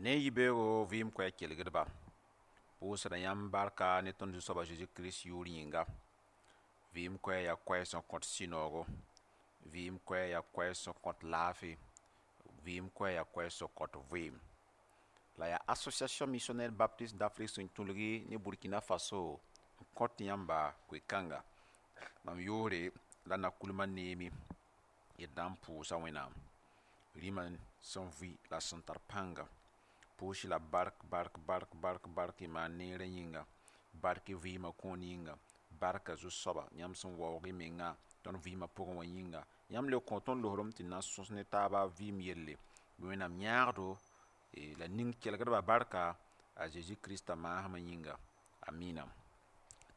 Ne yibeoogo vɩɩm koɛɛg kelgdba, pʋʋsda yãmb barka ne tõnd Zu-soaba Zeezi Kirist yʋʋr yĩnga. Vɩɩm koɛɛg yaa koɛɛg sẽn kõt sũ-noogo, vɩɩm koɛɛg yaa koɛɛg sẽn kõt laafɩ, vɩɩm koɛɛg yaa koɛɛg sẽn kõt vɩɩm. La yaa Association Missionnaire Baptiste d'Afrique sẽn tũlgi ne Burkina Faso n kõt yãmba koe-kãnga. Mam yʋʋre la Nakulma Neemi, d na n pʋʋsa Wẽnnaam rĩmã sẽn vɩ la sẽn tar pãnga. Pʋʋs la bark bark bark bark bark y maan neerã yĩnga, bark y vɩɩmã kõon yĩnga, barka zu-soaba yãmb sẽn waoog y mengã tõnd vɩɩmã pʋgẽ wã yĩnga. Yãmb le kõ tõnd losrem tɩ na n sõs ne taaba vɩɩm yelle. Bɩ Wẽnnaam yãagdo la ning kelgdbã barka a Zeezi Krista maasmã yĩnga. Amina.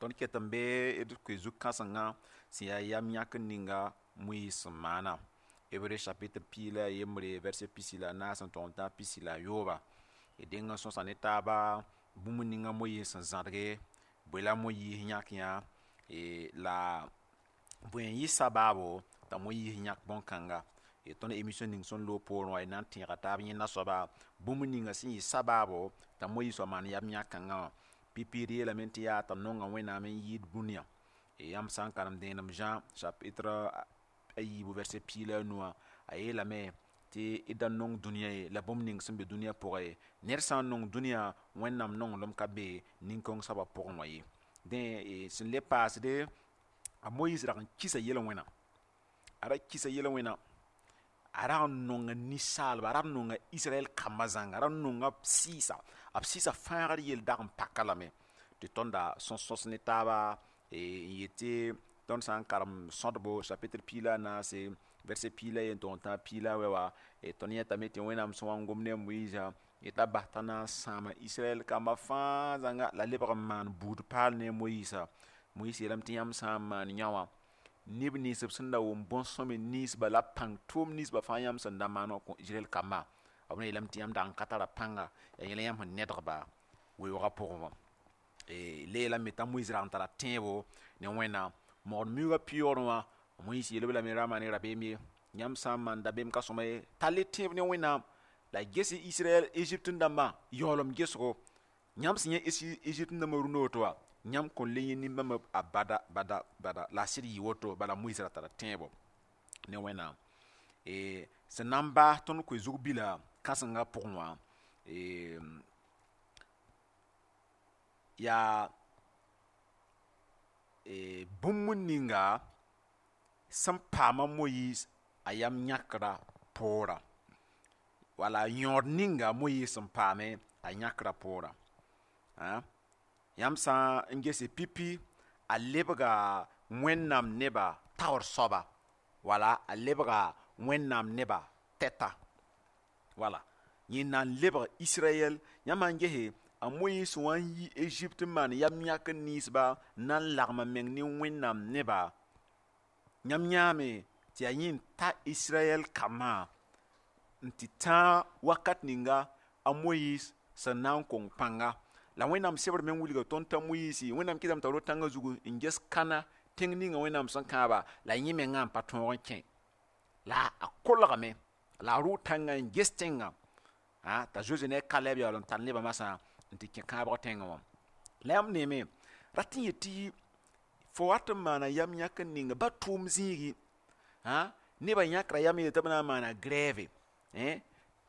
Tõnd ket n bee d koe zu-kãsengã sẽn yaa yam yãkr ninga Moyiis sẽn maana. Hébreu chapitre 11 verset 44 n tog n tã 43. D deng n sõsa ne taaba bũmb ninga Moyiis sẽn zãdge, bõe la Moyiis yãk yã, la bõe n yɩ sabaabo t'a Moyiis yãk bõn-kãnga. Tõnd émission ning sẽn loog poorẽ wã, d na n tẽega taab yẽnda soaba bũmb ninga sẽn yɩ sabaabo t'a Moyiis wa maan yam yãk-kãngã wã. Pipi d yeelame tɩ yaa t'a nonga Wẽnnaam n yɩɩd dũniyã. Yãmb sã n karem dẽenem Jean chapitre 3 verset 15 wã, a yeelame tɩ d da nong dũniyã ye la bũmb ning sẽn be dũniyã pʋgã ye. Ned sã n nong dũniyã, Wẽnnaam nonglem ka be nin-kõng soabã pʋgẽ wã ye. Dẽ sẽn le paasde, a Moyiis rag n kisa yel-wẽna, a ra kisa yel-wẽna, a rag n nonga ninsaalba, a rag n nonga Israɛl kambã zãnga, a ra nonga b sɩɩsa, b sɩɩsa fãagr yell dag n pak-a lame tɩ tõnda sẽn sõs ne taaba n yetɩ tõnd sã n karem sõdbo chapitre 14 verset 11 n tog n tã 18 wã, tõnd yãtame tɩ Wẽnnaam sẽn wa n gom ne a Moyiisã yetɩ a bas t'a na n sãama Israɛl kambã fãa zãnga la lebg n maan buud paal ne a Moyiisã. Moyiis yeelame tɩ yãmb sã n maan yã wã, neb nins b sẽn da wʋm bõn-sõme ninsba la pãng tʋʋm ninsba fãa yãmb sẽn da maan wã kõ Israɛl kambã, b yeelame tɩ yãmb dag n ka tara pãnga, yaa yẽla yãmb sẽn nedgba weoogã pʋgẽ wã. Le yeelame t'a Moyiis rag n tara tẽebo ne Wẽnnaam. Mogd miuugã pɩyoorẽ wã, Moyiis yeel-b lame ra maan y rabeem ye, yãmb sã n maan dabeem ka sõma ye, tall-y tẽeb ne Wẽnnaam la ges Israɛl Egypte dãmbã yaoolem gesgo. Yãmb sẽn yẽ Egypte dãmbã rũndã woto wã, yãmb kõn le yẽ nin-bãmba a bada bada bada. La a sɩd yɩ woto, bala Moyiis ra tara tẽebo ne Wẽnnaam. Sẽn na n baas tõnd koe zug bila kãsengã pʋgẽ wã, yaa bũmb ninga sẽn paama Moyiis a yam yãkra poorã, wala yõod ninga Moyiis sẽn paame a yãkra poorã. Yãmb sã n gese pipi, a lebga Wẽnnaam nebã taoor soaba, wala a lebga Wẽnnaam nebã tɛta. Wala yẽ na n lebg Israɛl. Yãmb sã n gese a Moyiis sẽn wa n yi Egypte n maan yam yãkr ninsba n na n lagm a meng ne Wẽnnaam nebã, yãmb yãame tɩ yaa yẽ n ta Israɛl kambã n tɩ tãag wakat ninga a Moyiis sẽn na n kong pãnga. La Wẽnnaam sebr meng wilga tõnd t'a Moyiisi, Wẽnnaam kɩtame t'a ro tãngã zugu n ges kãna tẽng ninga Wẽnnaam sẽn kãaba, la yẽ mengã n pa tõog n kẽ. La a kolgame, la a rʋʋ tãngã n ges tẽngã t'a Zoe ne a Kalɛb yaool n tar nebã masã n tɩ kẽ kãabg tẽngã wã. La yãmb neeme, rat n yetɩ fo wat n maana yam yãkr ninga ba tʋʋm zĩigi, nebã yãkra yam yeel tɩ b na n maana grève,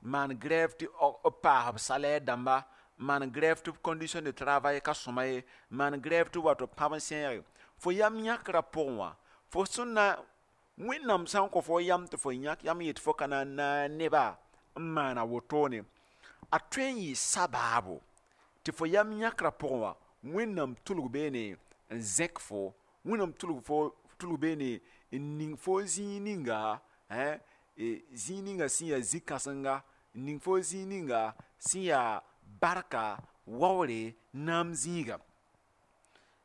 maan grève tɩ b paas b salaire dãmba, maan grève tɩ b condition de travail ka sõma ye, maan grève tɩ b wato pãb n sẽege. Fo yam yãkrã pʋgẽ wã, fo sẽn na Wẽnnaam sã n kõ fo yam tɩ fo yãk yam yet fo ka na n naag nebã n maana wotone, a tõe n yɩ sabaabo tɩ fo yam yãkrã pʋgẽ wã, Wẽnnaam tʋlg beene n zẽk fo, Wẽnnaam tʋlg fo tʋlg beene n ning fo zĩig ninga, zĩig ninga sẽn yaa zĩ-kãsenga, n ning fo zĩig ninga sẽn yaa barka waoore naam zĩiga.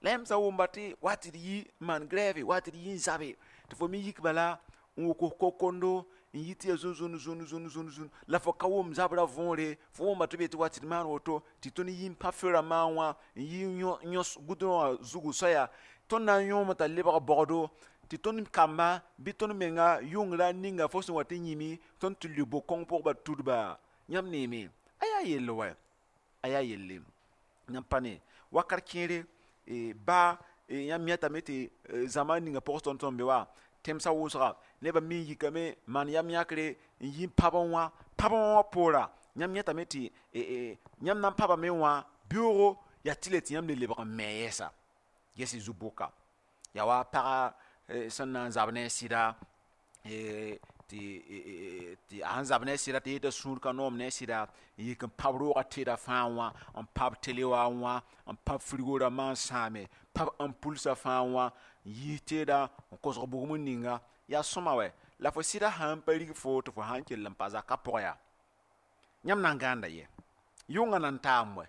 La yãmb sã n wʋmba tɩ wa tɩ d yi n maan grève, wa tɩ d yi n zabe, tɩ fo me yik bala n wʋk kokondo n yɩ tɩ yaa zũn zũn zũn zũn zũn zũn la fo ka wʋm zabrã võore, fo wʋmba tɩ b yetɩ wa tɩ d maan woto, tɩ tõnd yi n pa feu rãmbã wã n yi n yõs gʋdrõ wã zugu soaya, tõnd na n yõome t'a lebg baoogdo, tɩ tõnd kamba bɩ tõnd menga yʋngra ninga fo sẽn wa tɩ yĩmi, tõnd tɩ lʋ bo-kõng pʋg ba tudba. Yãmb neeme, a yaa Yaa yell wɛ, a yaa yelle yãmb pa ne wakat kẽere baa yãmb yãtame tɩ zãma ninga pʋgẽ tõnd tõnd be wa tẽmsã wʋsga nebã me n yikame maan yam yãkre n yi n pãb n wã, pãb n wã poora yãmb yãtame tɩ yãmb na n pãbame wã beoogo yaa tɩlɛ tɩ yãmb le lebg n me yɛɛsa. Ges y zu-bʋka yaa wa paga sẽn na n zab ne a sɩda, tɩ a sẽn zab ne a sɩda tɩ yeta sũur ka noom ne a sɩda n yik n pãb roogã teedã fãa wã, n pãb tele wã wã, n pãb frigo rãmbã n sãame, pãb ampulsã fãa wã, n yiis teedã n kosg bugum n ninga. Yaa sõma wɛ, la fo sɩda sãn pa rig foo tɩ fo sãn kell n pa zakã pʋgẽ yaa yãmb na n gãanda yɛ? Yʋngã na n taam wɛ,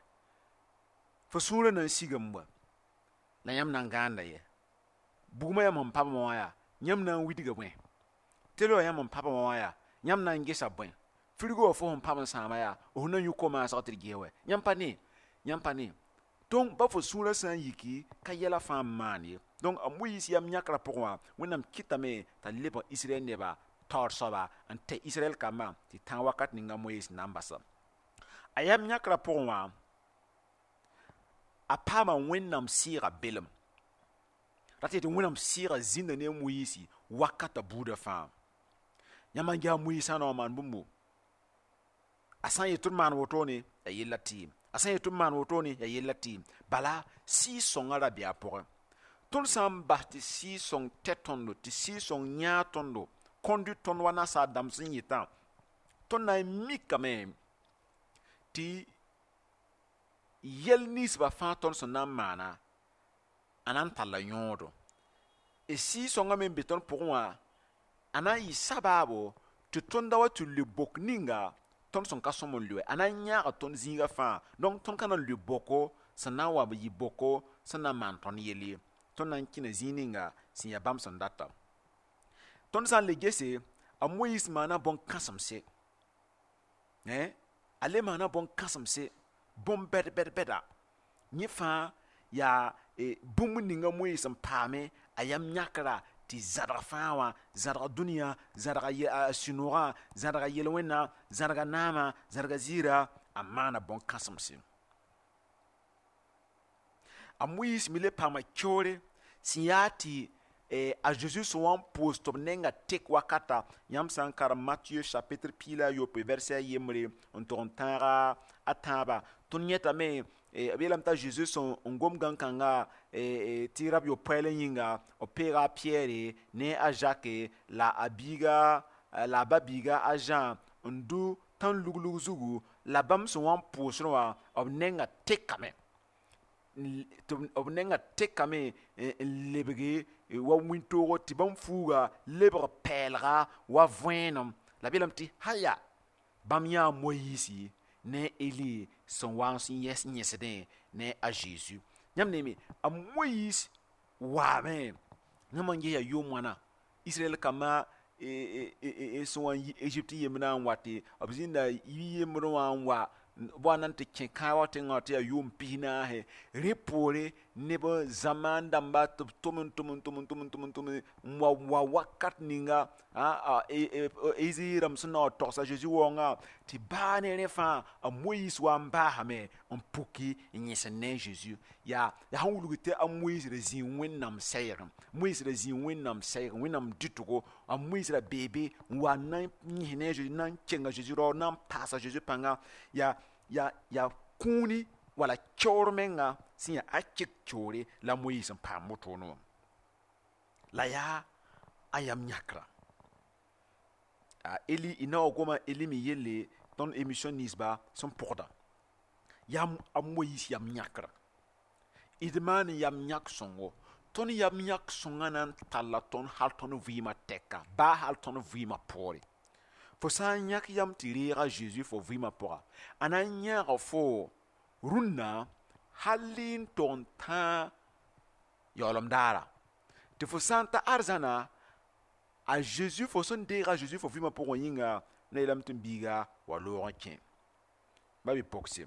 fo sũurã na n sigame wɛ, la yãmb na n gãanda yɛ? Bugmã yãmb sẽn pãbame wã yaa yãmb na n widga bõe? Tele wã yãmb sẽn pãbame wã yaa yãmb na n gesa bõe? Frigo wã fo sẽn pãb n sãama yaa f na n yũ ko-maasg tɩ d ges wɛ? Yãmb pa ne, yãmb pa ne. Donc ba fo sũurã sã n yiki ka yɛla fãa n maan ye. Donc a Moyiis yam yãkrã pʋgẽ wã Wẽnnaam kɩtame t'a lebg Israɛl neba taoor soaba n tɛ Israɛl kambã tɩ tãag wakat ninga Moyiis na n basa. A yam yãkrã pʋgẽ wã a paama Wẽnnaam sɩɩga belem. Rat yetɩ Wẽnnaam sɩɩga zĩnda ne a Moyiisi wakata buudã fãa. Yãmb n ges a Moyiis sã n na n wa maan bũmbu, a sã n yet tɩ d maan wotone yaa yella tɩɩm, a sã n yet tɩ d maan wotone yaa yella tɩɩm. Bala Sɩɩg-sõngã ra bee a pʋgẽ. Tõnd sã n bas tɩ Sɩɩg-sõng tɛ tõndo, tɩ Sɩɩg-sõng yãag tõndo, conduit tõnd wa nasaar dãmb sẽn yetã, tõnd na n mikame tɩ yɛl ninsbã fãa tõnd sẽn na n maana a na n talla yõodo. D Sɩɩg-sõngã me n be tõnd pʋgẽ wã a na n yɩ sabaabo tɩ tõnd da wa tɩ lʋɩ bok ninga tõnd sẽn ka sõm n lʋɩ, a na n yãaga tõnd zĩigã fãa. Donc tõnd ka na n lʋɩ boko sẽn na n wa yɩ boko sẽn na n maan tõnd yell ye. Tõnd na n kẽna zĩig ninga sẽn yaa bãmb sẽn data. Tõnd sã n le gese, a Moyiis maana bõn-kãsemse, a le maana bõn-kãsemse, bõn-bɛd bɛd bɛda. Yẽ fãa yaa bũmb ninga Moyiis n paame a yam yãkra tɩ zãdg fãa wã, zãdga dũniyã, zãdga a sũ-noogã, zãdga yel-wẽnna, zãdga naamã, zãdga ziira, a maana bõn-kãsemse. A Moyiis me le paama keoore sẽn yaa tɩ a Zeezi sẽn wa n pʋʋs tɩ b nenga tek wakata. Yãmb sã n karem Matthieu chapitre 16 verset yembre n tog n tãaga a tãabã, tõnd yẽtame b yeelame t'a Zeezi sẽn n gom gãn-kãnga tɩ rab yopoɛɛl yĩnga, b peega a Piyɛre ne a Jacques la a biiga la a ba-biiga a Jean n dʋ tãn-luglug zugu, la bãmb sẽn wa n pʋʋsdẽ wã b nenga tekame, tɩ b nenga tekame n lebge wa wĩntoogo tɩ bãmb fuuga lebg pɛɛlga wa võenem. La b yeelame tɩ haya bãmb yãa Moyiisi ne Eli sẽn wa n yẽsdẽ ne a Zeezi. Yãmb neeme, a Moyiis waame yãmb n ges yaa yʋʋm wãna Israɛl kambã sẽn wa n yi Egypte yembrã n wa tɩ b zĩnda yi yembrẽ wã n wa b wa na n tɩ kẽ kãabg tẽngã wã tɩ yaa yʋʋm 40. Rẽ poore neb zamaan dãmba tɩ b tʋm n tʋm n tʋm n tʋm n tʋm n tʋm n wa wa wakat ninga Ezayi rãmb sẽn na n wa togsa Zeezi waoongã tɩ baa ne rẽ fãa a Moyiis wa n baasame n puki n yẽsend ne a Zeezi. Yaa sẽn wilg tɩ a Moyiis ra zĩi Wẽnnaam sɛɛgẽ, Moyiis ra zĩi Wẽnnaam sɛɛgẽ, Wẽnnaam dɩtgo, a Moyiis ra bee be n wa n na n yẽs ne a Zeezi, na n kenga Zeezi rao, na n paasa Zeezi pãnga. Yaa kũuni wala keoor menga sẽn yaa a kek keoore la Moyiis n paam wotone wã. La yaa a yam yãkra. A Eli y na wa goma Eli me yelle tõnd émission ninsba sẽn pʋgda. Yaa a Moyiis yam yãkra. D maan yam yãk sõngo. Tõnd yam yãk sõngã na n talla tõnd hal tõnd vɩɩmã tɛka, baa hal tõnd vɩɩmã poore. Fo sã n yãk yam tɩ reeg a Zeezi fo vɩɩmã pʋga, a na n yãaga fo rũnnã hal n tog n tãag yaoolem daara. Tɩ fo sã n ta arzãna, a Zeezi fo sẽn deeg a Zeezi fo vɩɩmã pʋgẽ yĩnga, na yeelame tɩ m biiga wa loog n kẽ. Ba bi-pogse,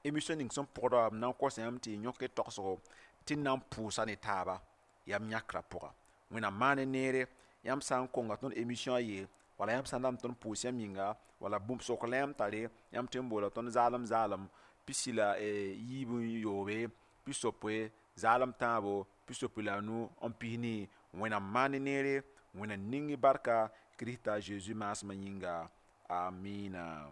émission ning sẽn pʋgda wã m na n kosa yãmb tɩ y yõk y tagsgo tɩ n na n pʋʋsa ne taaba yam yãkrã pʋga. Wẽnnaam maan neere, yãmb sã n konga tõnd émission a ye Wala yãmb sã n dat n tõnd pʋʋs yãmb yĩnga, wala bũmb sokr la yãmb tare, yãmb tõe n boola tõnd zaalem zaalem 67 60 3 64. Wẽnnaam maan neere, Wẽnnaam ning y barka Kirista Zeezi maasmã yĩnga. Amina.